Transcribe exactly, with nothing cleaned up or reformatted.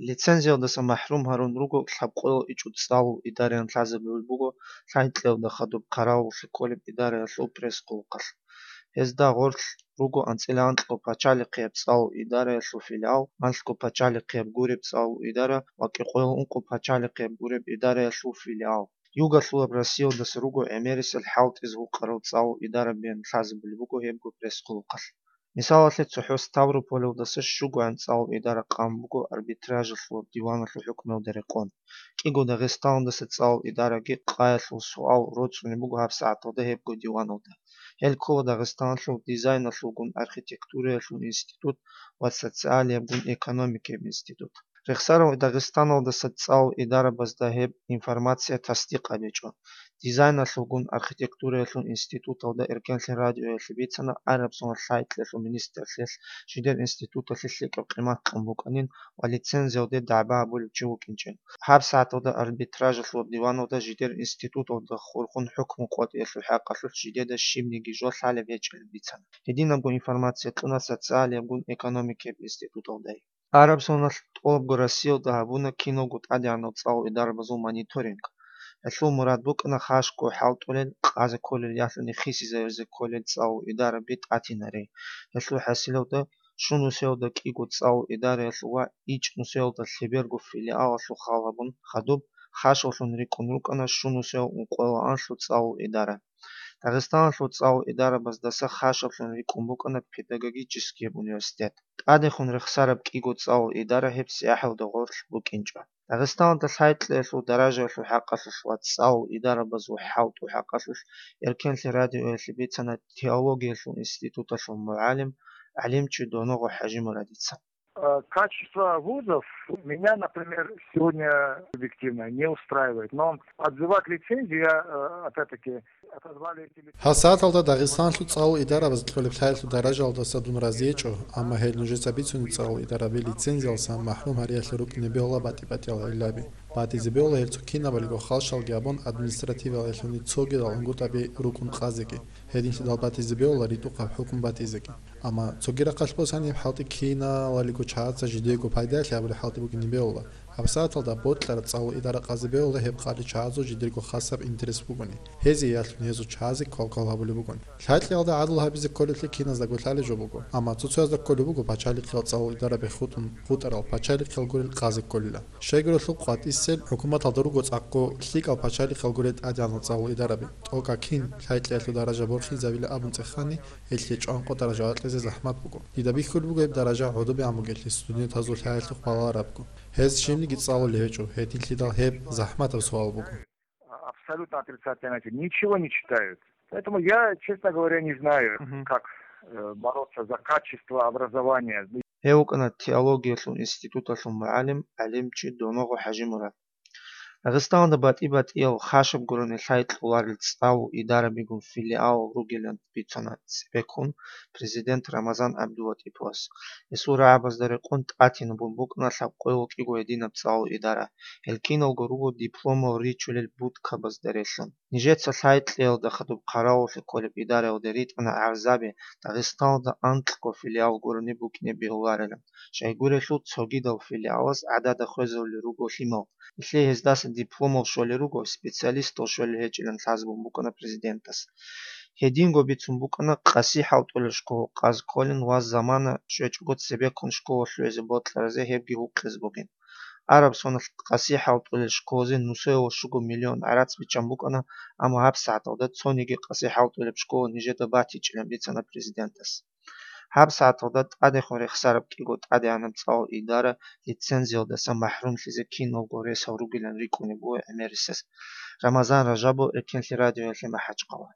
Лицензиялдаса махӀрум гьарун руго лъабкъоялда ичӀго цӀалул идараялъ лъазабулеб буго лъай кьелда хадуб хъаравуллъи кколеб идараялъул пресс-хъулухъалъ. Гьезда гъорлъ руго анцӀила анкьго пачалихъияб цӀалул идараялъул филиал, анлъго пачалихъияб гуреб цӀалул идара ва кӀикъоялда ункъо пачалихъияб гуреб идараялъул филиал. Югалъулаб Россиялдаса руго гӀемерисел хӀалтӀизе гьукъарал цӀалул идарабиялъ лъазабулеб буго гьебго пресс-хъулухъалъ. Мисалалъе, цохӀо Ставрополалдаса щугоян цӀалул идара къан буго арбитражалъул диваналъул хӀукмуялда рекъон. КӀиго Дагъистаналдаса цӀалул идараги къаялъул суал роцӀцӀунеб буго гьабсагӀаталда гьебго диваналда. Гьел ккола Дагъистаналъул дизайналъулгун архитектураялъул институт ва социалиябгун экономикияб институт. Рехсарав Дагъистаналдаса цӀалул идарабазда гьеб информация тасдикъ гьабичӀо. Дизайналъулгун архитектураялъул институталда Эркенлъи радиоялъе бицана, араб соналъ лъай кьелъул министрлъиялъ жидер институталъе лъикӀаб къимат кьун букӀанин ва лицензиялде дагӀба гьабулев чи вукӀинчӀин. ГьабсагӀаталда арбитражалъул диваналда жидер институталда хурхун хӀукму къотӀиялъул хӀакъалъулъ жидеда щибниги жо лъалеб гьечӀеб бицана. Гьединабго информация кьуна социалиябгун экономикияб институталдай. Араб соналъ тӀолабго Россиялда гьабуна киналго тӀадегӀанал цӀалул идарабазул мониторинг. Гьелъул мурад букӀана хашго хӀалтӀулел, къазе кколел ялъуни хисизаризе кколел цӀалул идараби тӀатинари. Гьелъул хӀасилалда, щунусиялда кӀиго цӀалул идараялъул ва ичӀнусиялда лъеберго филиалалъул хал гьабун, хадуб хашаллъун рикӀкӀун рукӀана щунусиял ункъоялда анлъго цӀалул идара. Дагъистаналъул цӀалул идарабаздаса хашаллъун рикӀкӀун букӀана педагогическияб университет. ТӀадехун рехсараб кӀиго цӀалул идара гьеб цӀехӀелда гъорлъ букӀинчӀо. Дагъистаналда лъай кьеялъул даражаялъул хӀакъалъулъ ва цӀалул идарабазул хӀалтӀул хӀакъалъулъ Эркенлъи радиоялъе бицана теологиялъул институталъул мугӀалим, гӀалимчи Доногъо ХӀажимурадица. Э, качество вузов меня, например, сегодня объективно не устраивает. Но отзывать лицензию я, э, опять-таки, отозвали эти лицензии. Гьасаталда Дагъистанлъул цӀалул идарабаз кьолеб лъаялъул даражалдаса дун разиечӀо, амма гьел нужеца бицунеб цӀалул идараби лицензиялдаса махӀрум гьариялъе рукӀине бегьула батӀи-батӀиял гӀиллаби. БатӀизе бегьула гьел цо кинабалиго халщалги абун административалалъуни цогидал гӀунгутӀаби рукӀун къазеги. Гьединлъидал батӀизе бегьула ритӀухъаб хӀукму батӀизеги. Амма цоги рахъалъ босани гьеб хӀалтӀи киналалиго чагӀаца жидеего пайдаялъе гьабулеб хӀалтӀи букӀине бегьула. ГьабсагӀаталда бокьараб цӀалул идара къазе бегьула гьеб къадрилъ чагӀазул жидерго хасаб интерес бугони. Гьезие ялъун гьезул чагӀазе квалквал гьабулеб бугони. Лъайкьиялда гӀадлу гьабизе кколеблъи киназдаго лъалеб жо буго. Амма цо-цоязда кколеб буго пачалихъиял цӀалул идараби хутӀун хутӀарал пачалихъиял гурел къазе кколила. Щайгурелъул къватӀисел хӀукуматалда руго цӀакъго лъикӀал пачалихъиял гурел тӀадегӀанал цӀалул идараби. ТӀокӀаб кин лъайкьиялъул даража борхизабила абун цӀехани, гьелъие чӀванкъо даража бакьизе захӀмат буго. Дида бихьулеб буго гьеб даража гӀодобегӀан бугелъул студентазул лъаялъухъ балагьарабго. Гьез щибниги цӀалулев гьечӀо, гьединлъидал гьеб захӀматаб суал буго. Абсолютно отрицательная оценка. Ничего не читают. Поэтому я, честно говоря, не знаю, Мгм. как, э, бороться за качество образования. Гьев вукӀана теологиялъул институталъул мугӀалим, гӀалимчи Доногъо ХӀажимурад. Дагъистаналда батӀи-батӀиял хашаб гурони лъай кьоларел цӀалул идарабигун филиалал ругилан бицана цебеккун президент Рамазан ГӀабдулатӀиповас. Гьесул рагӀабазда рекъон тӀатинабун букӀана лъабкъоялда кӀиго гьединаб цӀалул идара. Гьел киналго руго дипломал ричулел будкабазда релълъун. Нижеца лъай кьеялда хадуб хъаравуллъи кколеб идараялде ритӀана гӀарзаби Дагъистаналда анкьго филиал гурони букӀине бегьуларилан. Щайгурелъул цогидал филиалаз гӀадада хвезарулел руго лъимал. Нилъее гьездаса дипломал щолел руго, специалистал щолел гьечӀилан лъазабун букӀана президентас. Гьединго бицун букӀана къаси хӀалтӀулел школа къазе кколин ва замана щвечӀого цебеккун школа лъугӀизе бокьаразе гьебги гьукъизе бугин. Араб соналъ къаси хӀалтӀулел школазе нусоялда щуго миллион гӀарац биччан букӀана, амма гьабсагӀаталда цониги къаси хӀалтӀулеб школа нижеда батичӀилан бицана президентас. ГьабсагӀаталда тӀадехун рехсараб кӀиго тӀадегӀанаб цӀалул идара лицензиялдаса махӀрумлъизе киналго ресал ругилан рикӀкӀунеб буго гӀемерисез. Рамазан Ражабов, Эркенлъи радиоялъе, МахӀачхъала.